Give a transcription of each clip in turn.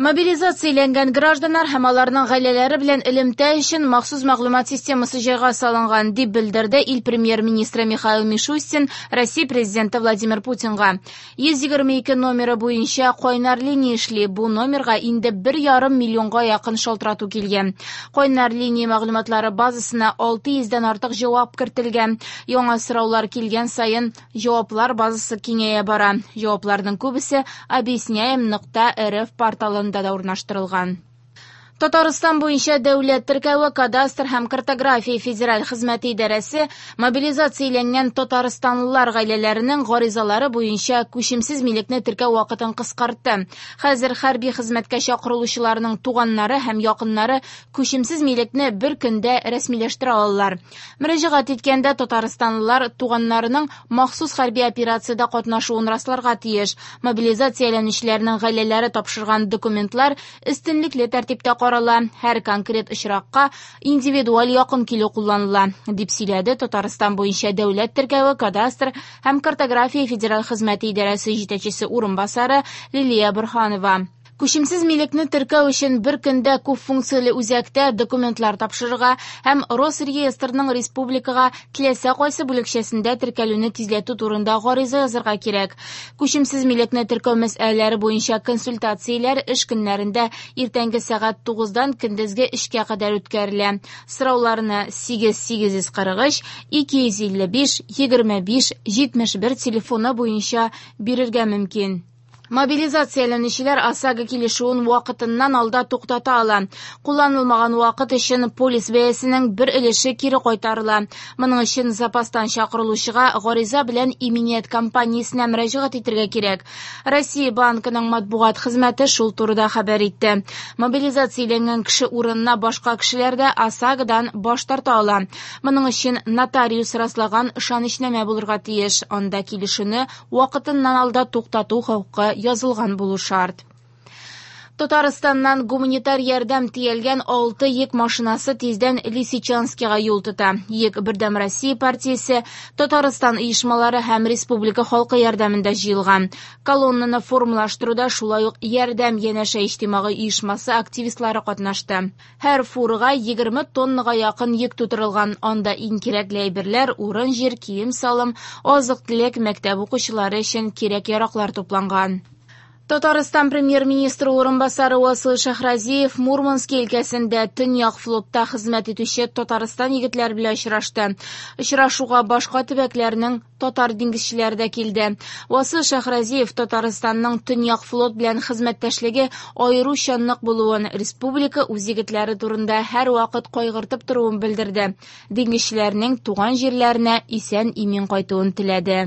Мобилизацияләнгән гражданнар һәм аларның гаиләләре белән элемтә өчен махсус мәгълүмат системасы җайга салынган, дип белдерде ил премьер-министры Михаил Мишустин Россия президенты Владимир Путинга. 122 номеры буенча кайнар линия эшли. Бу номерга инде 1,5 миллионга якын шалтырату килгән. Кайнар линия мәгълүматлары базасына 600 дән артык җавап кертелгән. Яңа сораулар килгән саен җаваплар базасы киңәя бара. Җавапларның күбесе объясняем.рф порталында да урнаштырылган. Татарстан буенча дәүләт теркәве, кадастр һәм картография федераль хезмәте идарәсе мобилизацияләнгән татарстанлылар гаиләләренең гаризалары буенча күчемсез милекне теркәү вакытын кыскартты. Хәзер хәрби хезмәткә чакырылучыларның туганнары һәм якыннары күчемсез милекне бер көндә рәсмиләштерә алалар. Мөрәҗәгать иткәндә татарстанлылар туганнарының махсус хәрби операциядә катнашуын расларга тиеш. Мобилизацияләнүчеләрнең гаиләләре тапшырган документлар өстенлекле тәртиптә карала, һәр конкрет очракка индивидуаль якын килү кулланыла, дип сөйләде Татарстан буенча дәүләт теркәве, кадастр һәм картография федераль хезмәте идарәсе җитәкчесе урынбасары Лилия Борһанова. Күчемсез милекне теркәү өчен бер көндә күп функцияле үзәктә документлар тапшырырга һәм Росреестрның республикага теләсә кайсы бүлекчәсендә теркәлүне тизләтү турында гариза язарга кирәк. Күчемсез милекне теркәү мәсьәләләре буенча консультацияләр эш көннәрендә иртәнге сәгать 9-дан көндезге 3-кә кадәр үткәрелә. Сорауларны 8 843 255 25 71 телефоны буенча бирергә мөмкин. Мобилизацияләнүчеләр ОСАГО килешүен вакытыннан алда туктата ала. Кулланылмаган вакыт өчен полис бәясенең бер өлеше кире кайтарыла. Моның өчен запастан чакырылучыга гариза белән иминият компаниясенә мөрәҗәгать итәргә кирәк. Россия банкының матбугат хезмәте шул турыда хәбәр итте. Мобилизацияләнгән кеше урынына башка кешеләр дә ОСАГОдан баш тарта ала. Моның өчен нотариус раслаган ышанычнамә булырга тиеш. Анда килешүне вакытыннан алда туктату хокукы язылган булу шарт. Татарстаннан гуманитар ярдәм төялгән 6 йөк машинасы тиздән Лисичанскига юл тота. Йөк Бердәм Россия партиясе, Татарстан оешмалары һәм республика халкы ярдәмендә җыелган. Колоннаны формалаштыруда шулай ук Ярдәм янәшә иҗтимагый оешмасы активистлары катнашты. Һәр фурага 20 тоннага якын йөк тутырылган. Анда иң кирәкле әйберләр, урын-җир, кием-салым, азык-төлек, мәктәп укучылары өчен кирәк-яраклар тупланган. Татарстан премьер-министры урынбасары Васил Шәһразиев Мурмански өлкәсендә Төньяк флотта хезмәт итүче Татарстан егетләре белән очрашты. Очрашуга башка төбәкләрнең татар диңгезчеләре дә килде. Васил Шәһразиев Татарстанның Төньяк флот белән хезмәттәшлеге аеруча нык булуын, республика үз егетләре турында һәрвакыт кайгыртып торуын белдерде. Диңгезчеләрнең туган җирләренә исән-имин кайтуын теләде.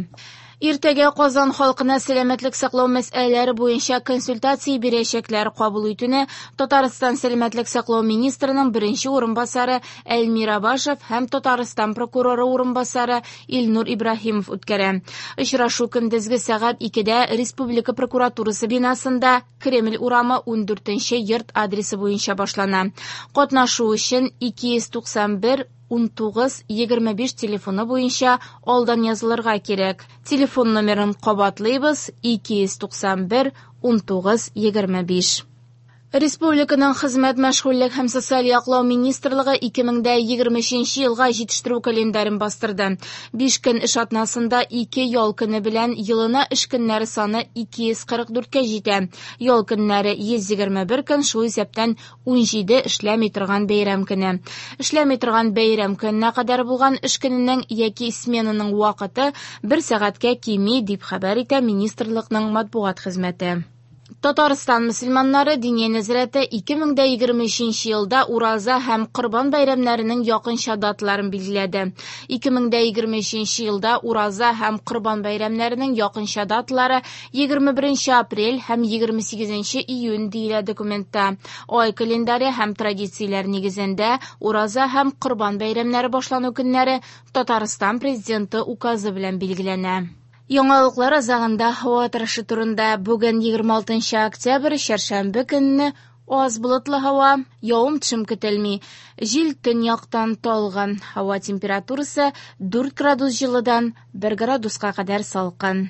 Иртәгә Казан халкына сәламәтлек саклау мәсьәләләре буенча консультация бирәчәкләр. Кабул итүне Татарстан сәламәтлек саклау министрының беренче урынбасары Эльмир Абашев һәм Татарстан прокуроры урынбасары Илнур Ибраһимов үткәрә. Очрашу көндезге сәгать 2-дә Республика прокуратурасы бинасында Кремль урамы 14 йорт адресы буенча башлана. Катнашу өчен 291 19 25 телефоны буенча алдан язылырга кирәк. Телефон номерын кабатлыйбыз: 291 19 25. Республиканың хезмәт, мәшгульлек һәм социаль яклау министрлыгы 2023 елга җитештерү календарен бастырды. 5 көн эш атнасында 2 ял көне белән елына эш көннәре саны 244-кә җитә. Ял көннәре 121 көн, шул исәптән 17 эшләми торган бәйрәм көне. Эшләми торган бәйрәм көненә кадәр булган эш көненең яки сменаның вакыты 1 сәгатькә кими, дип хәбәр итә министрлыкның матбугат хезмәте. Татарстан мөселманнары Диния нәзарәте 2023 елда Ураза һәм Корбан бәйрәмнәренең якынча даталарын билгеләде. 2023 елда Ураза һәм Корбан бәйрәмнәренең якынча даталары 21 апрель һәм 28 июнь диелә документта. Ай календаре һәм традицияләр нигезендә Ураза һәм Корбан бәйрәмнәре башлану көннәре Татарстан президенты указы белән билгеләнә. Яңалыклар азагында һава торышы турында. Бүген 26 октябрь, чәршәмбе көнне аз болытлы һава, явым-төшем көтелми. Җил төньяктан талгын. Һава температурасы 4 градус җылыдан 1 градуска кадәр салкын.